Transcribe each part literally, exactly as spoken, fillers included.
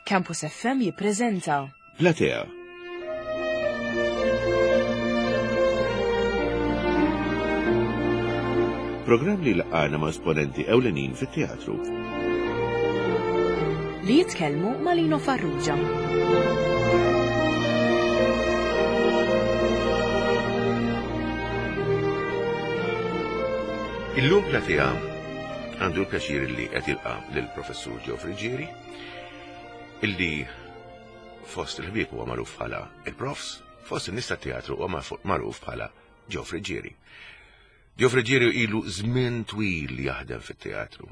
Campus F M jippreżenta Platea. Programm li laqana ma' esponenti ewlenin fit-teatru. Li jitkellmu ma' Lino Farrugia. Illum Platea għandu l-pjaċir li qed jilqa' lill-Professur Joe Friggieri, illi fost il-ħbieb huwa magħruf bħala il-Profs, fost in-nies tat-teatru huwa magħruf bħala Joe Friggieri. Joe Friggieri ilu żmien twil jaħdem fit-teatru.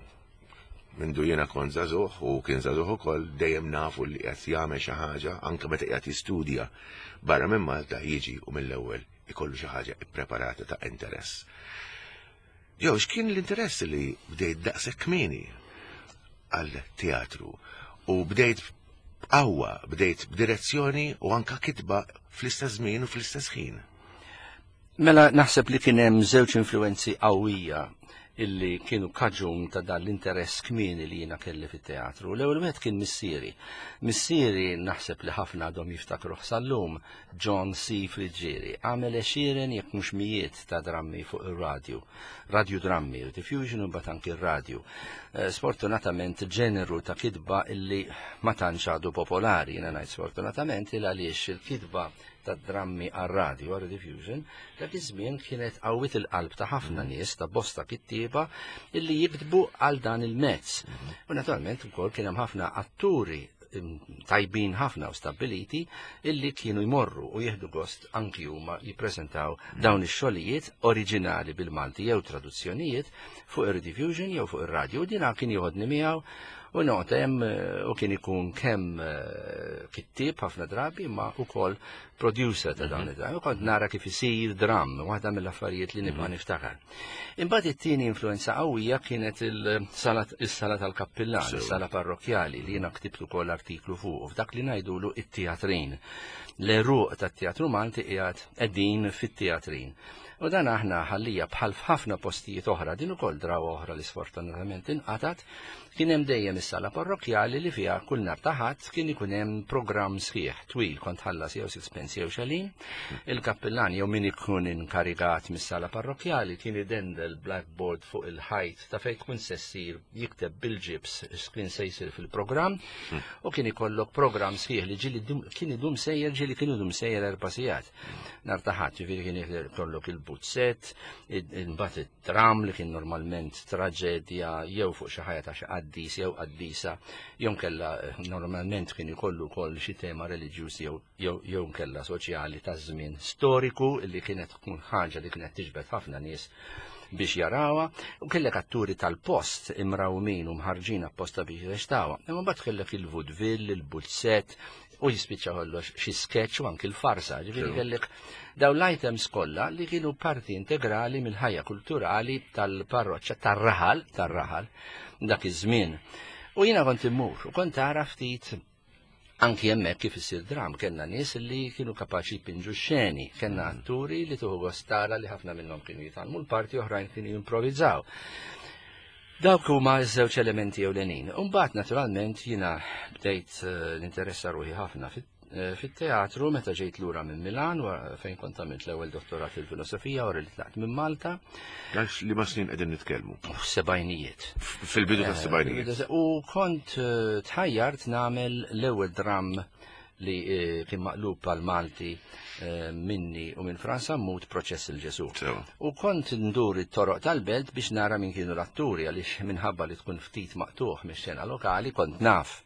Mindu jiena kont żagħżugħ u kien żagħżugħ ukoll, dejjem nafu li qed jagħmel xi ħaġa, anke meta qiegħed jistudja barra minn Malta jiġi u mill-ewwel ikollu xi ħaġa ippreparata ta' interess. Joe, x'kien l-interess li bdejt daqshekk kmieni għal teatru u bdejt b'qawwa, bdejt b'direzzjoni u anka kitba fl-istess żmien u fl-istess ħin? Mela, naħseb li kien hemm żewġ influenzi qawwija illi kienu kaġun ta' dan l-interess kmieni li jiena kelli fit-teatru. L-ewwel wieħed kien missieri. Missieri, naħseb li ħafna għadhom jiftakruh sal-lum, John C. Friggieri, għamel għexieren jekk mhux mijiet ta' drammi fuq ir-radju. Radio drammi, diffusion u mbagħad anki r-radju. Eh, sfortunatament ġeneru ta' kitba illi ma tantx għadu popolari, jiena ngħid sfortunatament il għaliex il-kitba ta' drammi għar-radio, għar diffusion, dak iż-żmien kienet qawwit il-qalb ta' ħafna nies, ta' bosta kittieba illi jiktbu għal dan il-mezz. U naturalment ukoll kien hemm ħafna atturi tajbin ħafna u stabiliti illi kienu jmorru u jieħdu gost anki huma jippreżentaw dawn ix-xogħlijiet oriġinali bil-Malti jew traduzzjonijiet fuq ir-rediffusion jew fuq ir-radio. U dina kien joħodni miegħu u noqgħod hemm, eh, u kien ikun kemm eh, kittieb ħafna drabi ma ukoll producer ta' dawn id-dram. U kont nara kif isir dram, waħda mill-affarijiet li nibqa' niftakar. Imbagħad it-tieni influenza qawwija kienet il-sala is-sala tal-kappillan, Sew. is-sala parrokkjali li jiena ktibtu ukoll artiklu fuq, f'dak li ngħidulu it-teatrin. L-għeruq tat-teatru Malti qiegħed qegħdin fit-teatrin. U dan aħna ħallija bħal f'ħafna postijiet oħra, din ukoll drawa oħra li sfortunatament inqatat, kien hemm dejjem is-sala parrokkjali li fiha kull nhar ta' Ħadd kien ikun hemm programm sħiħ twil, kont ħallas jew sixpence jew xalin. Il-kappillan jew min ikun inkarigat mis-sala parrokkjali kien idendel blackboard fuq il-ħajt ta' fejn tkun se ssir, jikteb bil-ġibs x'kien se jsir fil-programm, u kien ikollok programm sħiħ li ġieli dum, kien idum sejjer, ġieli kien idum sejjer erba' sigħat. Nhar ta' Ħadd, ġifieri kien ikollok il-buzzett, imbagħad it-tram li kien normalment traġedja jew fuq xi ħajja ta' xi qaddis jew qaddisa, jew kella normalment kien ikollu wkoll xi tema reliġjuż jew jew jew kella soċjali ta' żmien storiku li kienet tkun ħaġa li kienet tiġbed ħafna nies biex jarawha, u kellek atturi tal-post imrawmin u mħarġin apposta biex jirreċtawha. Imma mbagħad kellek il-vaudeville, il-buzzett, u jispiċċa kollox xi sketch u anki l-farsa, ġifieri Sew. kellek dawn l-items kollha li kienu parti integrali mill-ħajja kulturali tal-parroċċa tar-raħal, tar-raħal dak iż-żmien. U jiena kont immur u kont tara ftit anki hemmhekk kif isir dram, kellna nies li kienu kapaċi jpinġu xeni, kellna atturi li tuħu gost tara li ħafna minnhom kienu jitgħallmu l-parti, oħrajn kienu jimprovizzaw. Dawk huma ż-żewġ elementi ewlenin. U mbagħad naturalment jiena bdejt eh, ninteressa ruħi ħafna fit- eh, fit-teatru meta ġejt lura minn Milan, wa- fejn kont għamilt l-ewwel dottorat fil-filosofija wara li tlaqt minn Malta. Għax li ma snin qegħdin nitkellmu? Sebgħinijiet. Fil-bidu ta' sebgħinijiet. U kont eh, tħajjart nagħmel l-ewwel dram li eh, kien maqlub għal Malti eh, minni u minn Franz Sammut, Proċess il-Ġesu. Sew. U kont ndur it-toroq tal-belt biex nara min kienu l-atturi, għaliex minħabba li tkun ftit maqtuħ mix-xena lokali, kont naf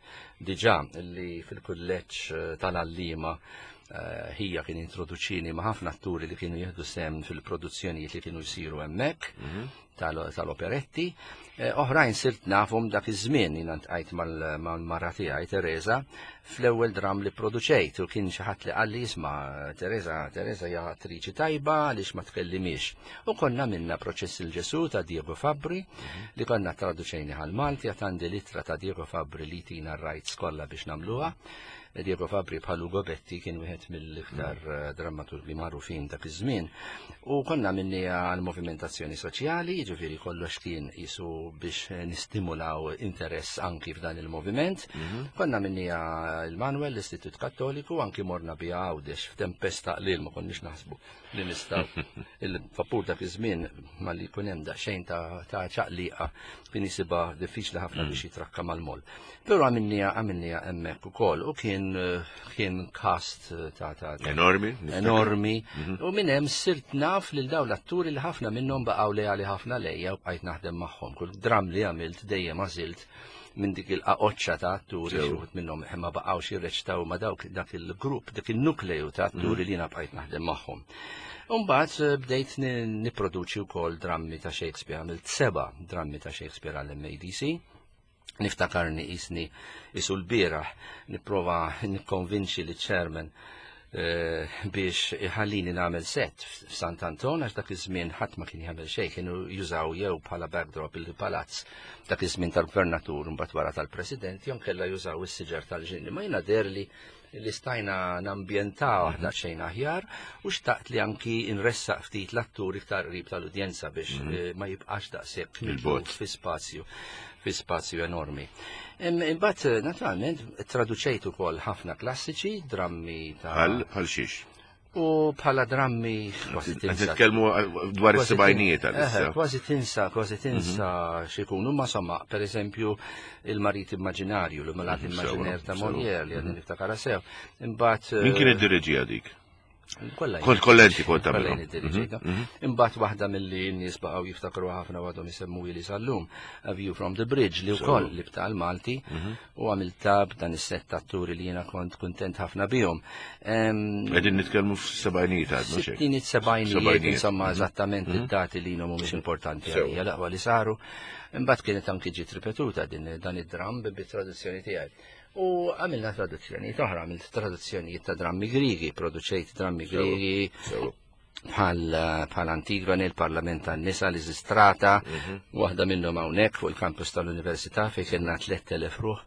diġà li fil-kulleġġ eh, tal-għalliema eh, ħija kien introduċini ma' ħafna atturi li kienu jieħdu sem fil-produzzjonijiet li kienu jsiru hemmhekk tal- tal-operetti. Eh, Oħrajn sirt nafhom dak iż-żmien, jiena ltqajt mal-mara tiegħi Teresa fl-ewwel dram li produċejt, u kien xi ħadd li qalli, "Isma', Teresa, Teresa hija attriċi tajba, għaliex ma tkellimix?" U konna minna Proċess il-Ġesu ta' Diego Fabbri li konna traduċejni għal Malti, għad għandi l-ittra ta' Diego Fabbri li tina r-rights kollha biex nagħmluha. Diego Fabbri bħal Ugo Betti kien wieħed mill-iktar eh, drammaturgi magħrufin dak iż-żmien. U konna minni għal movimentazzjoni soċjali, jiġifieri kollox kien jisu biex nistimulaw interess anki f'dan il-moviment. Konna minni il-Manuel, l-Istitut Kattoliku, anki morna bija Għawdex f'tempesta qlil, ma konniex naħsbu li nistgħu. Il-vapur dak iż-żmien ma li jkun hemm daqsxejn ta' ta' ċaqliqa kien jisibha diffiċli ħafna biex jitrakka mal-mol. Però għamilniha għamilniha hemmhekk ukoll u kien kien cast ta' ta' ta' Enormi. niftakar. Enormi. U minn hemm sirt naf lil dawn l-atturi li ħafna minnhom baqgħu leali ħafna lejja u bqajt naħdem magħhom. Kull dram li għamilt dejjem għażilt minn dik il-qaqoċċa ta' atturi, Sew. xi wħud minnhom ma baqgħux jirreċtaw ma' dawk dak il-grupp, dak il-nukleju ta' atturi li jiena bqajt naħdem magħhom. Umbagħad eh, bdejt ni- nipproduċi wkoll drammi ta' Shakespeare, għamilt seba' drammi ta' Shakespeare għall-M A D C. Niftakarni jisni isu l-bieraħ nipprova nikkonvinċi li chairman eh, biex iħallini nagħmel set f'Sant Anton, għax dak iż-żmien ħadd ma kien jagħmel xejn, kienu jużaw jew bħala backdrop il-palazz dak iż-żmien tal-gvernatur, mbagħad wara tal-president, jew kellha jużaw is-siġar tal-ġinni. Ma jiena derli li stajna nambjentaw aħna xejn aħjar u xtaqt li anki nressaq ftit l-atturi iktar qrib tal-udjenza biex eh, ma jibqax daqshekk Il-bogħod. fi spazju fi spazju enormi. Im- Imbagħad, naturalment, traduċejt ukoll ħafna klassiċi, drammi ta' Bħal bħal xiex. U bħala drammi kważi Qed tinsa. nitkellmu dwar Kważi is-sebgħinijiet tin- għalissa. Eħe, kważi tinsa, kważi tinsa x'ikunu, ma somma, per eżempju, il-marit immaġinarju, l-malat Mhm, immaġiner ta' sewa, Molière li għadni niftakara sew. Imbagħad Min kien id-diriġija dik? Kollha Kont kollha inti kont kollha tagħmilhom. jien iddiriġejta. Imbagħad waħda milli n-nies baqgħu jiftakru ħafna u għadhom isemmu li sal-lum, A View from the Bridge, li wkoll li bta' l-Malti u għamilta b'dan is-set atturi li jiena kont kuntent ħafna bihom. Em, Qegħdin nitkellmu fis-sebgħinijiet għadna xejn. Sittinijiet, sebgħinijiet, Sebgħinijiet. insomma, eżattament id-dati li mhumiex importanti Sew. għalija, l-aqwa li saru. Imbagħad kienet anki ġiet ripetuta din dan id-dram bi traduzzjoni tiegħi. U għamilna traduzzjonijiet oħra, għamilt traduzzjonijiet ta' drammi Grigi, produċejt drammi Sew. Grigi Sew. bħal bħal Antigone, il-Parlament tan-Nisa, Lisistrata, waħda minnhom hawnhekk fuq il-kampus tal-Università fejn kellna tlett elef ruħ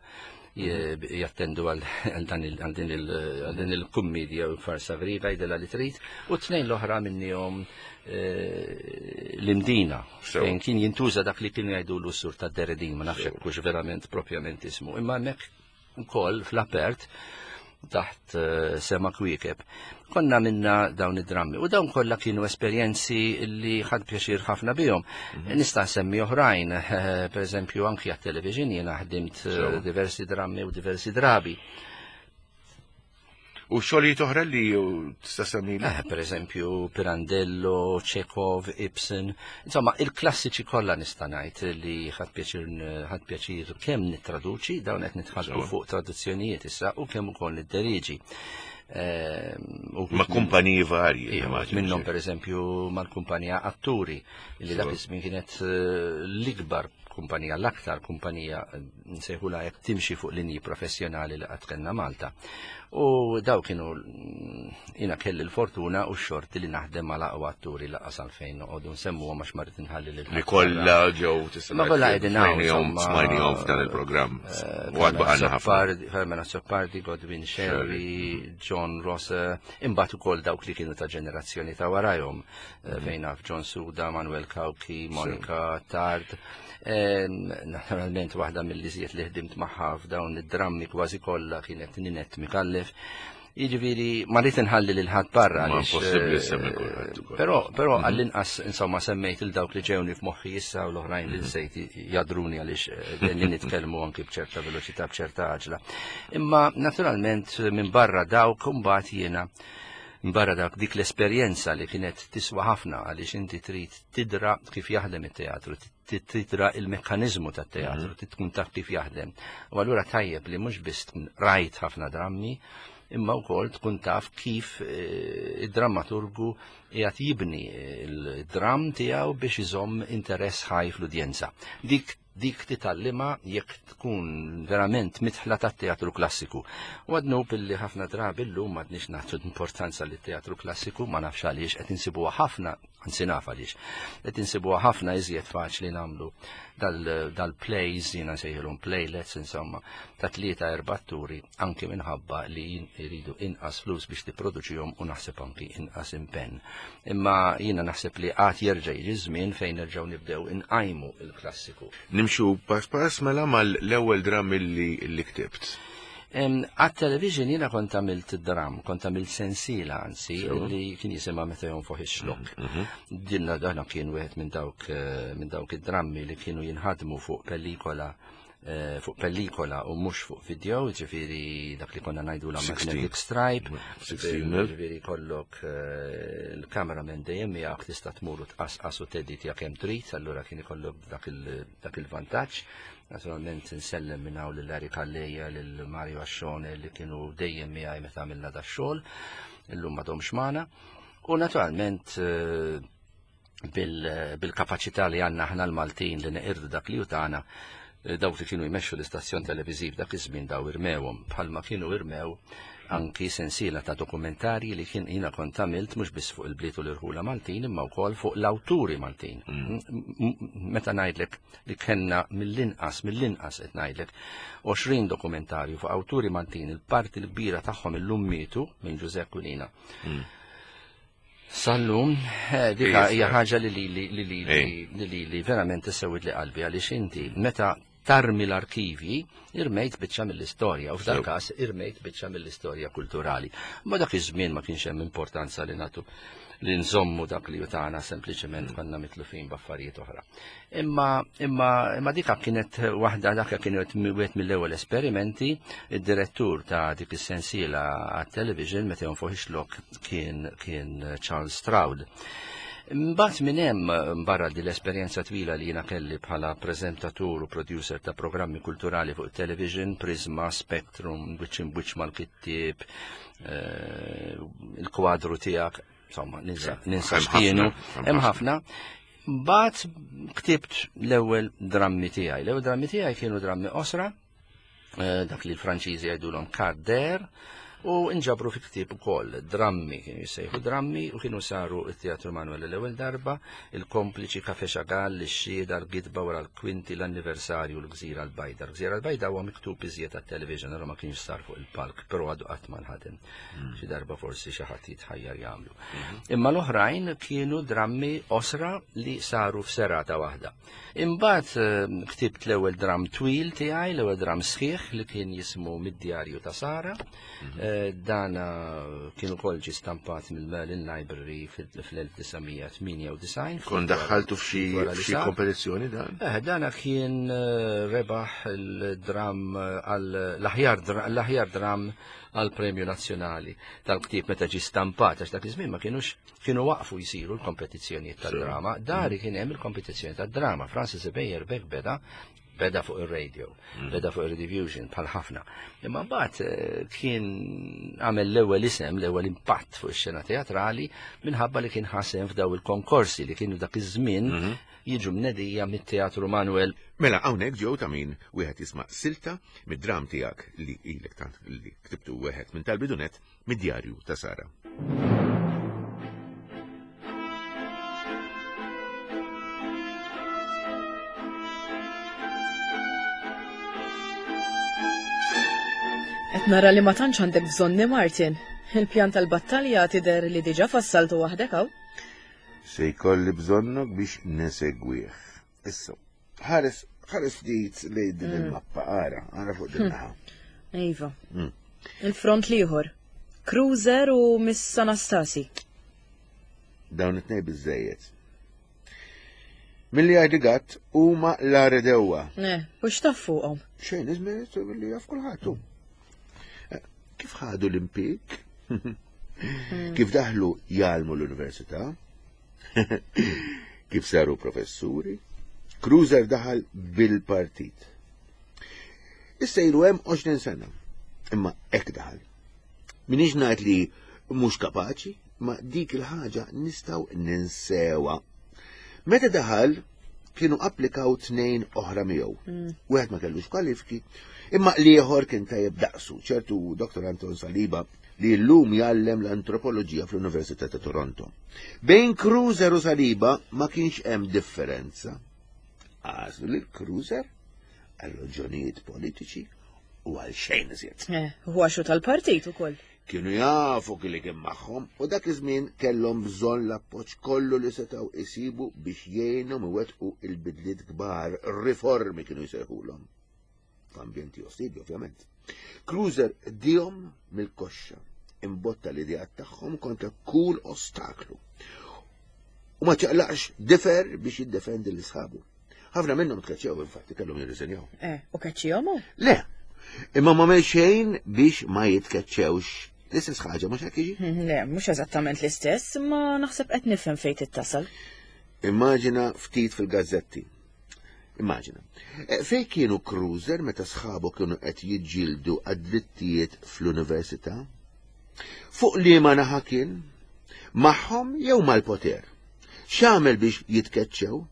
je- jattendu għal għal dan il- għal din il- għal din il-kummedja u farsa Griega, jidela li trid, u tnejn l-oħra minnihom eh, l-Imdina Sew. fejn kien jintuża dak li kienu jgħidu l-sur ta' Deredin, ma nafx hekk hux verament propjament ismu, imma hemmhekk ukoll fl-apert taħt eh, sema kwiekeb. Konna minna dawn id-drammi u dawn kollha kienu esperjenzi li ħadt pjaċir ħafna bihom. Nista' nsemmi oħrajn, eh, per eżempju anki għat-television jiena ħdimt eh, Sew. diversi drammi u diversi drabi. U xogħlijiet oħra li tista' semmili? Eh, per eżempju Pirandello, Chekhov, Ibsen, insomma il-klassiċi kollha nista' ngħid li ħadt pjaċir ħadt pjaċir kemm nittraduċi, dawn qed nitħalltu Sewa. fuq traduzzjonijiet issa, u kemm ukoll nidderiġi. Eh, u Ma' kumpaniji varji. Iva, immaġini. minnhom per eżempju mal-kumpanija Atturi, li dak Sewa. iż-żmien kienet eh, l-ikbar kumpanija, l-aktar kumpanija eh, nsejħula jekk timxi fuq linji professjonali li qatt kellna Malta. U daw kienu mm, jiena kelli l-fortuna u x-xorti li naħdem mal aqwa atturi, laqas għalfejn noqogħdu nsemmuhom għax ma rrid inħalli lil Li kollha ġew tista' Ma kollha qegħdin hawn, smajnihom insomma, smajnihom f'dan il-programm. U għad baqgħalna ħafna. Azzopardi, Herman Azzopardi, Godwin Scerri, John Rossa, imbagħad ukoll dawk li kienu ta' ġenerazzjoni ta' warajhom, eh, fejn naf John Suda, Manuel Cauchi, Monica Tard. Em, Naturalment waħda mill-liżiet li ħdimt magħha f'dawn id-drammi kważi kollha kienet Ninette Micallef. Jiġifieri ma rrid inħalli lil ħadd barra Ma għaliex, impossibbli eh, ssemmi kulħadd ukoll. Però però għall-inqas insomma semmejt il dawk li ġewni f'moħħi issa u l-oħrajn li nsejt jadruni għaliex eh, li nitkellmu anki b'ċerta veloċità, b'ċerta għaġla. Imma naturalment minn barra dawk imbagħad jiena barra dak dik l-esperjenza li kienet tiswa ħafna għaliex inti trid tidra kif jaħdem it-teatru, trid tidra il-mekkanizmu tat-teatru, trid tkun taf kif jaħdem. U allura tajjeb li mhux biss tkun rajt ħafna drammi, imma wkoll tkun taf kif eh, id-drammaturgu qiegħed jibni il-dram tiegħu biex iżomm interess ħaj fl-udjenza. Dik dik titgħallimha jekk tkun verament mitħla tat-teatru klassiku. U għadnu billi ħafna drabi llum m'għadniex nagħtu importanza lit teatru klassiku, ma nafx għaliex, qed insibuha ħafna anzi naf għaliex. Qed insibuha ħafna iżjed faċli nagħmlu dal-plays, jiena nsejħilhom playlets, insomma, ta' tlieta erba' atturi, anki minħabba li jridu inqas flus biex tipproduċihom u naħseb anki inqas impenn. Imma jiena naħseb li għad jerġa' jiġi żmien fejn nerġgħu nibdew inqajmu il-klassiku. Nimxu pass pass mela mal-ewwel dram li ktibt. Għat-television jiena kont għamilt dram, kont għamilt sensiela anzi, li kien jisimha Meta Jonfoħ ix-Xlokk. Dinna dana kien wieħed minn dawk minn dawk id-drammi li kienu jinħadmu fuq pellikola fuq pellikola u mhux fuq video, ġifieri dak li konna ngħidu la magnetic stripe, ġifieri kollok il-cameraman dejjem miegħek tista' tmur u tqasqas u teditja kemm trid, allura kien ikollok dak il-vantaġġ. Naturalment nsellem minn hawn lil Larry Calleja, lil Mario Ascione li kienu dejjem miegħi meta għamilna dax-xogħol, illum m'għadhomx magħna. U naturalment bil-kapaċità li għandna aħna l-Maltin li neqirdu dak li hu tagħna, dawk li kienu jmexxu l-istazzjon televiżiv dak iż-żmien daw irmewhom, bħalma kienu irmew anki sensiela ta' dokumentarji li kien jiena kont għamilt mhux biss fuq il-bliet u l-irħula Maltin imma wkoll fuq l-awturi Maltin. Meta ngħidlek li kellna mill-inqas mill-inqas qed ngħidlek għoxrin dokumentarju fuq awturi Maltin, il-parti l-kbira tagħhom illum mietu minn Ġużè Aquilina. Sallum, dika hija ħaġa li li li li li verament issewwid li qalbi għaliex inti meta tarmi l-arkivi, irmejt biċċa mill-istorja, u f'dan każ irmejt biċċa mill-istorja kulturali. Ma dak iż-żmien ma kienx hemm importanza li nagħtu li nżommu dak li tagħna, sempliċement konna mitlufin b'affarijiet oħra. Imma imma imma dika kienet waħda, dak kienet wieħed mill-ewwel esperimenti. Id-direttur ta' dik is-sensiela għat-television meta jonfoħ ix-xlokk kien kien Charles Stroud. Mbagħad minn hemm barra di l-esperjenza twila li jiena kelli bħala preżentatur u producer ta' programmi kulturali fuq television, Prisma, Spectrum, Wiċċ Imwiċċ mal-Kittieb, il-kwadru tiegħek, insomma, ninsa ninsa x'kienu, hemm ħafna. Mbagħad ktibt l-ewwel drammi tiegħi. L-ewwel drammi tiegħi kienu drammi qosra, dak li l-Franċiżi jgħidulhom carder, u nġabru fi ktieb ukoll drammi, kienu jissejħu drammi, u kienu saru it-Teatru Manuel l-ewwel darba, il-Kompliċi, Kafe Xagall, ix-Xhieda, l-Gidba wara l-Kwinti, l-Anniversarju, l-Gżira l-Bajda. L-Gżira l-Bajda huwa miktub iżjed għat-television, allura ma kienx sar fuq il-palk, però għadu qatt ma nħadem. Xi darba forsi xi ħadd jitħajjar jagħmlu. Imma l-oħrajn kienu drammi qosra li saru f'serata waħda. Imbagħad ktibt l-ewwel dram twil tiegħi, l-ewwel dram sħiħ li kien jismu Mid-Djarju ta' Sara. Dana kien ukoll ġie stampat mill-Merlin Library fl-elf disa' mija tmienja u disgħin. Kon daħħaltu f'xi kompetizzjoni dan? Eh, dana kien rebaħ il-dram għall-aħjar dram għall-Premju Nazzjonali tal-ktieb meta ġie stampat, għax dak iż-żmien ma kienux kienu waqfu jsiru l-kompetizzjonijiet tad-drama. Dari kien hemm il-kompetizzjoni tad-drama. Francis Ebejer Beck beda beda fuq ir-radio, beda fuq ir-Rediffusion bħal ħafna. Imma mbagħad kien għamel l-ewwel isem, l-ewwel impatt fuq ix-xena teatrali minħabba li kien ħasem f'daw il-konkorsi li kienu dak iż-żmien jiġu mnedija mit-Teatru Manuel. Mela hawnhekk ġew ta' min wieħed jisma' silta mid-dram tiegħek li ilek tant li ktibtu wieħed minn tal-bidunet mid-Djarju ta' Sara. Qed nara li ma tantx għandek bżonni, Martin. Il-pjan tal-battalja tidher li diġà fassaltu waħdek hawn. Se jkolli bżonnok biex nesegwih. Issa, ħares ħares ftit lejn din il-mappa, ara, ara fuq din naħa. Iva. Il-front l-ieħor. Cruiser u Miss Anastasi. Dawn it-tnejn biżejjed. Milli jgħid gatt huma l-aredewa. Ne, u x'taf fuqhom? Xejn iżmien li jaf kulħadd. Kif ħadu l-impik? Kif daħlu jgħallmu l-università? Kif saru professuri? Cruiser daħal bil-partit. Issa ilu hemm għoxrin sena, imma hekk daħal. Minix ngħid li mhux kapaċi, ma dik il-ħaġa nistgħu ninsewa. Meta daħal kienu applikaw tnejn oħra miegħu. Wieħed ma kellux kwalifiki, imma l-ieħor kien tajjeb daqsu, ċertu Doktor Anton Saliba li llum jgħallem l-antropoloġija fl-Università ta' Toronto. Bejn Cruiser u Saliba ma kienx hemm differenza. Għażlu lil Cruiser għal raġunijiet politiċi u għal xejn iżjed. Eh, huwa xu tal-partit ukoll. Kienu jafu li kien magħhom u dak iż-żmien kellhom bżonn l-appoġġ kollu li setgħu isibu biex jgħinhom iwettqu il-bidliet kbar, riformi kienu jsejħulhom. F'ambjenti ostili, ovvjament. Cruiser dihom mill-koxxa, imbotta l-ideat tagħhom kontra kull ostaklu. U ma ċaqlaqx difer biex jiddefendi l-isħabu. Ħafna minnhom tkeċċew infatti kellhom jirriżenjaw. Eh, u keċċihom hu? Le, imma ma għamel xejn biex ma jitkeċċewx. L-istess ħaġa mhux hekk jiġi? Le, mhux eżattament l-istess, ma naħseb qed nifhem fejn tittasal. Immaġina ftit fil-gazzetti. Immaġina. Eh, Fej kienu Cruiser meta sħabu kienu qed jiġġieldu għad-drittijiet fl-università? Fuq liema naħa kien? Magħhom jew mal-poter? X'għamel biex jitkeċċew?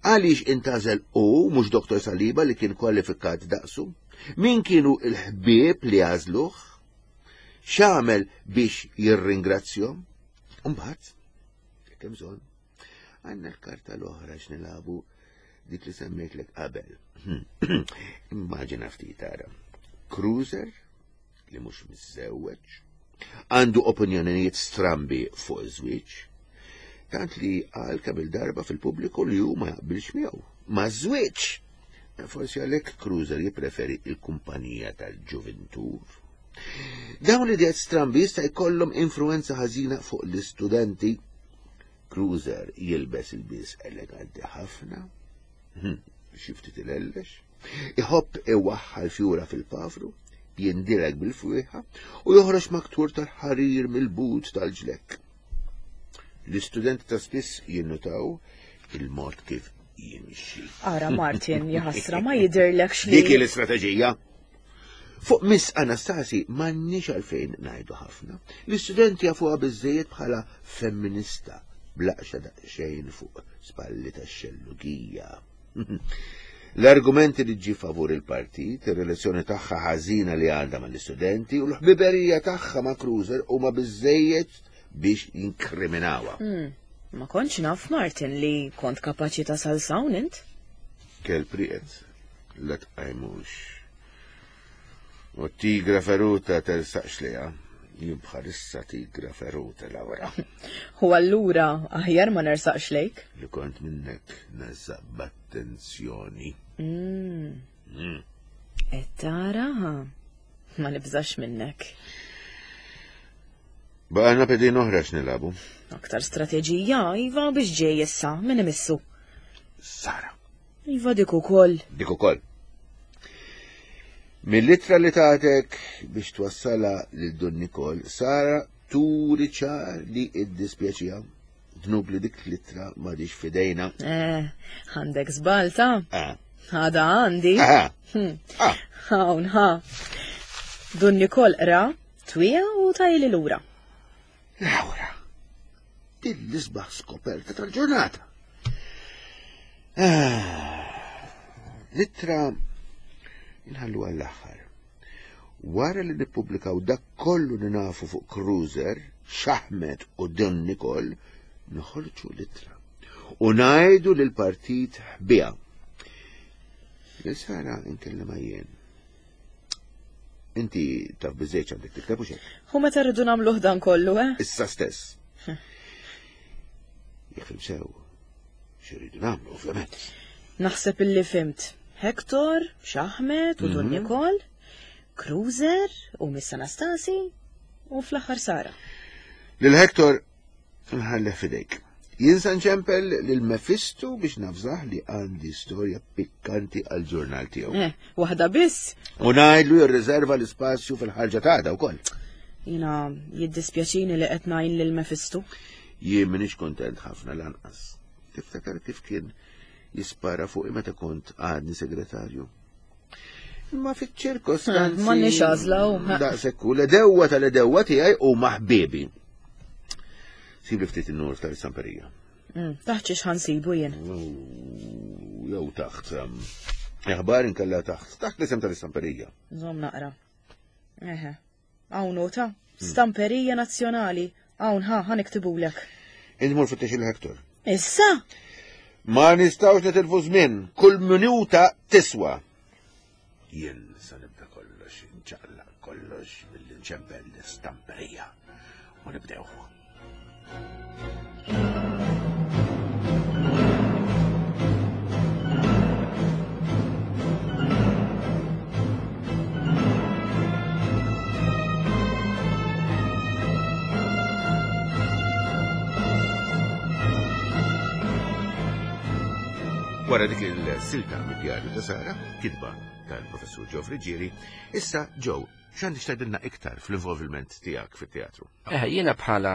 Għaliex intażel u mhux Doktor Saliba li kien kwalifikat daqsu? Min kienu il-ħbieb li għażluh? X'għamel biex jirringrazzjahom? Imbagħad, jekk hemm bżonn, għandna l-karta l-oħra x'nilagħbu dik li semmejtlek qabel. Immaġina ftit ara. Cruiser li mhux miżżewweġ, għandu opinjonijiet strambi fuq iż-żwieġ, tant li qal kemm il-darba fil-pubbliku li hu ma jaqbilx miegħu. Ma żwieġ. Forsi għalhekk Cruiser jippreferi il-kumpanija tal-ġuventur. Dawn l-ideat strambi jista' jkollhom influenza ħażina fuq l-istudenti. Cruiser jilbes ilbies eleganti ħafna, xi ftit ilellex, iħobb iwaħħal fjura fil-pavru, jindilek bil-fwieħa u joħroġ maktur tal-ħarir mill-but tal-ġlekk. L-istudenti ta' spiss jinnutaw il-mod kif jimxi. Ara Martin, jaħasra ma jidhirlekx li. Dik l-istrateġija. Fuq Miss Anastasi m'għandniex għalfejn ngħidu ħafna. L-istudenti jafuha biżejjed bħala femminista blaqxa daqsxejn fuq spalli tax-xellugija. L-argumenti li ġi favur il-partit, ir-relazzjoni tagħha ħażina li għandha mal-istudenti u l-ħbiberija tagħha ma' Cruiser huma biżejjed biex jinkriminawha. Hmm, Ma kontx naf Martin li kont kapaċi tasal s'hawn int? Kelb rieqed, la tqajmux. U tigra feruta tersaqx liha. Jien bħalissa tigra feruta, Laura. U allura aħjar ma nersaqx lejk? Li kont minnek nersaq b'attenzjoni. Mm. Mm. Et tara, ha? Ma nibżax minnek. Baqgħalna pedin oħra x'nilagħbu. Aktar strateġija, Iva biex ġej issa, min imissu. Sara. Iva dik ukoll. Dik ukoll. Mill-ittra li tatek biex twassala lil Dun Nikol, Sara turi ċar li iddispjaċiha. Dnub li dik l-ittra m'għadhiex f'idejna. Eh, għandek żball ta. Ah. Għada għandi. Ah. Hmm. Ah. Hawn, ha. Dun Nikol qra, twija u tajli lura. Laura, din l-isbaħ skoperta tal-ġurnata. Ah, L-ittra inħallu għall-aħħar. Wara li nippubblikaw dak kollu li nafu fuq Cruiser, Xaħmet u Dun Nikol, noħorġu l-ittra. U ngħidu lil partit ħbiha. Lil Sara nkellem jien. Inti taf biżejt għandek tikteb u xejn. U meta rridu nagħmluh dan kollu, eh? Issa stess. Jekk fhimt sew, x'irridu nagħmlu, ovvjament. Naħseb illi fhimt. Hector, Xaħmet u Dun Nikol, Cruiser u Miss Anastasi u fl-aħħar Sara. Lil Hector nħallih f'idejk. Jien sa nċempel lil Mephisto biex navżah li għandi storja pikkanti għal-ġurnal tiegħu. Eh, waħda biss. U ngħidlu jirriserva l-ispazju fil-ħarġa tagħda wkoll. Jiena jiddispjaċini li qed ngħin lil Mephisto. Jien m'iniex kontent ħafna lanqas. Tiftakar kif kien jispara fuqi meta kont għadni segretarju. Imma fiċ-ċirkostanzi. Eh, m'għandniex għażla u. Daqshekk hu l-għedewwa tal-għedewwa tiegħi u ħbiebi. Sibli ftit in-nur tal-istamperija. Mm, Taħt xiex ħa nsibu jien. Jew taħt. um, Aħbar inkella taħt. Taħt l-isem tal-istamperija. Żomm naqra. Eħe, Hawn nota. Stamperija Nazzjonali. Hawn ħa ħa niktibulek. Int mur fittex il-Hector. Issa? Ma nistgħux nitilfu żmien, kull minuta tiswa. Jien sa nibda kollox, nċaqlaq kollox billi nċempel l-istamperija. U nibdew. Wara dik il-silta mid-djarju ta' Sara, kitba tal-professur Joe Friggieri, issa Joe, x'għandek tgħidilna iktar fl-involviment tiegħek fit-teatru? Eh, jiena bħala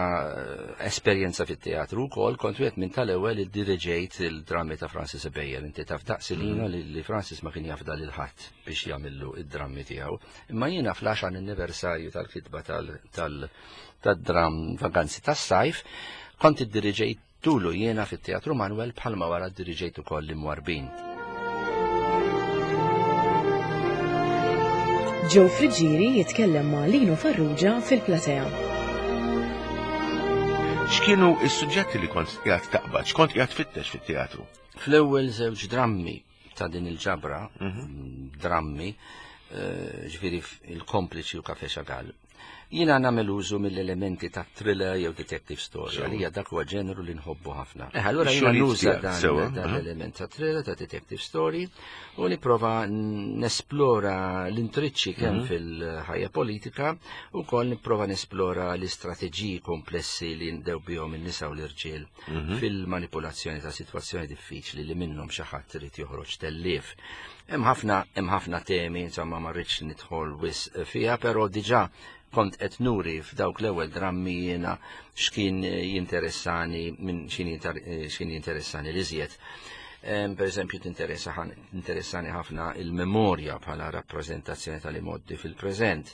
esperjenza fit-teatru wkoll kont wieħed minn tal-ewwel iddiriġejt il-drammi ta' Francis Ebejer. Inti taf daqsilina li, li Francis ma kien jafda lil ħadd biex jagħmillu id-drammi tiegħu. Imma jiena fl-għaxar anniversarju tal-kitba tal-dram Vaganzi tas-Sajf kont iddiriġejt tulu jiena fit-Teatru Manuel bħalma wara ddiriġejt ukoll l-Imwarbin. Joe Friggieri jitkellem ma' Lino Farrugia fil-platea. X'kienu s-suġġetti li kont qiegħed taqbad, x'kont qiegħed tfittex fit-teatru? Fl-ewwel żewġ drammi ta' din il-ġabra, drammi, ġifieri il-Kompliċi u Cafe Chagall, jiena nagħmel użu mill-elementi ta' thriller jew detective story, għalija dak huwa ġeneru li nħobbu ħafna. Eh, allura jiena nuża dan l-element ta' thriller, ta' detective story, u nipprova nesplora l-intriċċi kemm fil-ħajja politika, u wkoll nipprova nesplora l-istrateġiji komplessi li ndew bihom in-nisa u l-irġiel fil-manipolazzjoni ta' sitwazzjoni diffiċli li minnhom xi ħadd irid joħroġ tellief. Hemm ħafna hemm ħafna temi, insomma ma rridx nidħol wisq fiha, però diġà kont qed nuri f'dawk l-ewwel drammi jiena x'kien jinteressani minn x'kien jinteressani l-iżjed. Per eżempju, tinteressani ħafna il-memorja bħala rappreżentazzjoni tal-imoddi fil-preżent.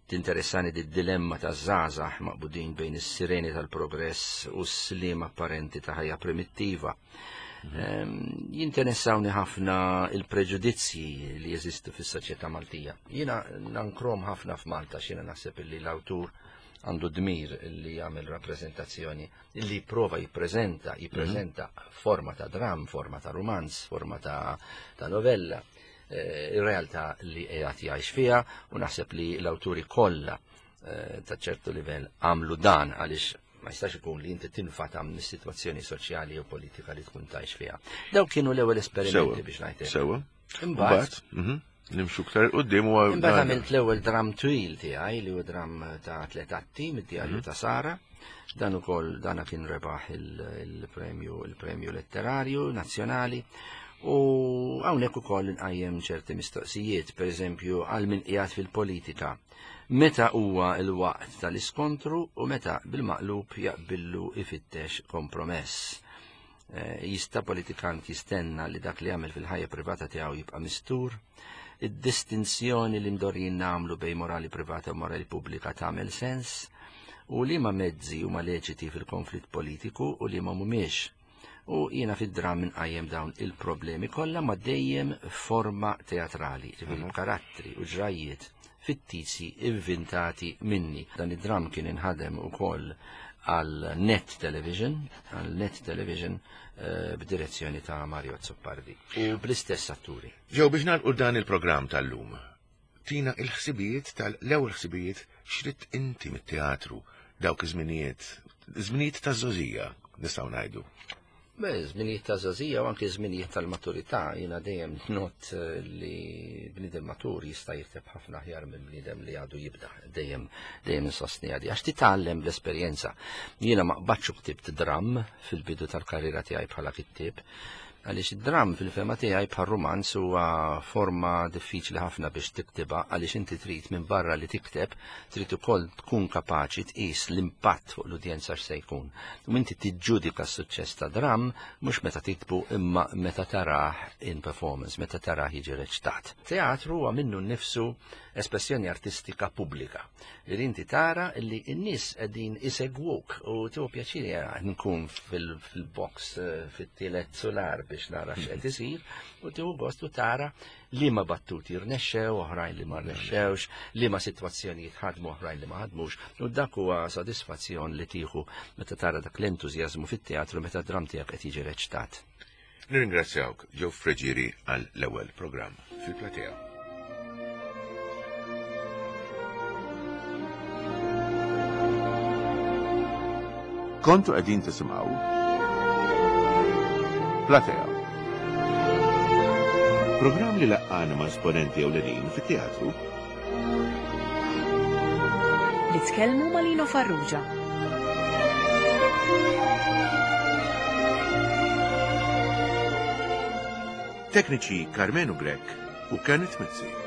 Tinteressani d-dilemma ta' żgħażagħ maqbudin bejn is-sireni tal-progress u s-slim apparenti ta' ħajja primittiva. Jinteressawni ħafna il-preġudizzji li jeżistu fis-soċjetà Maltija. Jiena nankrom ħafna f'Malta, x'jiena naħseb li l-awtur għandu dmir li jagħmel rappreżentazzjoni li prova jippreżenta, jippreżenta forma ta' dram, forma ta' romanz, forma ta', ta' novella, ir-realtà li qiegħed jgħix fiha, u naħseb li l-awturi kollha ta' ċertu livell għamlu dan għaliex ma jistax ikun li inti tinfata minn is-sitwazzjoni soċjali u politika li tkun tgħix fiha. Dawk kienu l-ewwel esperimenti biex ngħid. Sewa. Imbagħad nimxu aktar quddiem u imbagħad għamilt l-ewwel dram twil tiegħi li huwa dram ta' tliet atti mid-djarju ta' Sara. Dan ukoll dana kien rebaħ il-premju il-premju letterarju nazzjonali. U hawnhekk ukoll inqajjem ċerti mistoqsijiet, pereżempju għal min qiegħed fil-politika. Meta huwa l-waqt tal-iskontru u meta bil-maqlub jaqbillu ifittex kompromess. Jista' politikant jistenna li dak li jagħmel fil-ħajja privata tiegħu jibqa' mistur? Id-distinzjoni li mdorjin nagħmlu bejn morali privata u morali pubblika tagħmel sens? U liema mezzi huma leċiti fil-konflitt politiku u liema mhumiex? U jiena fid-dram inqajjem dawn il-problemi kollha ma dejjem forma teatrali, ġifieri karattri u ġrajiet fittizji inventati minni. Dan id-dram kien inħadem ukoll għal Net Television, għal Net Television b'direzzjoni ta' Mario Zoppardi u bl-istess atturi. Ġew biex nagħlqu dan il-programm tal-lum, tina il-ħsibijiet tal-ewwel ħsibijiet x'rid inti mit-teatru dawk iż-żminijiet, żminijiet taż-żgħożija nistgħu ngħidu. Beh, żminijiet ta' żgħożija u anke żminijiet tal-maturità, jiena dejjem not li bniedem matur jista' jikteb ħafna aħjar minn bniedem li għadu jibda, dejjem dejjem insostni għadi, għax titgħallem bl-esperjenza. Jiena ma qbadx u ktibt dram fil-bidu tal-karriera tiegħi bħala kittieb, għaliex id-dram fil-fema tiegħi bħal romanz huwa forma diffiċli ħafna biex tiktibha, għaliex inti trid minn barra li tikteb, trid ukoll tkun kapaċi tqis l-impatt fuq l-udjenza x'se jkun. U inti tiġġudika s-suċċess ta' dram mhux meta tiktbu imma meta tarah in performance, meta tarah jiġi reċtat. Teatru huwa minnu nnifsu espressjoni artistika pubblika. Li inti tara li n-nies qegħdin isegwuk u tieħu pjaċir nkun fil-box fit-tielet solar biex nara x'qed isir, u tieħu gost u tara li ma battuti rnexxew, oħrajn li ma rnexxewx, li ma sitwazzjonijiet ħadmu, oħrajn li ma ħadmux, u dak huwa sodisfazzjon li tieħu meta tara dak l-entużjażmu fit-teatru meta dram tiegħek qed jiġi reċtat. Nirringrazzjawk Joe Friggieri għal l-ewwel programm fil-platea. Kontu qegħdin tisimgħu Platea. Programm li laqqana ma' esponenti ewlenin fit-teatru Li tkellmu ma' Lino Farrugia. Tekniċi Carmenu Grech u Kenneth Mizzi.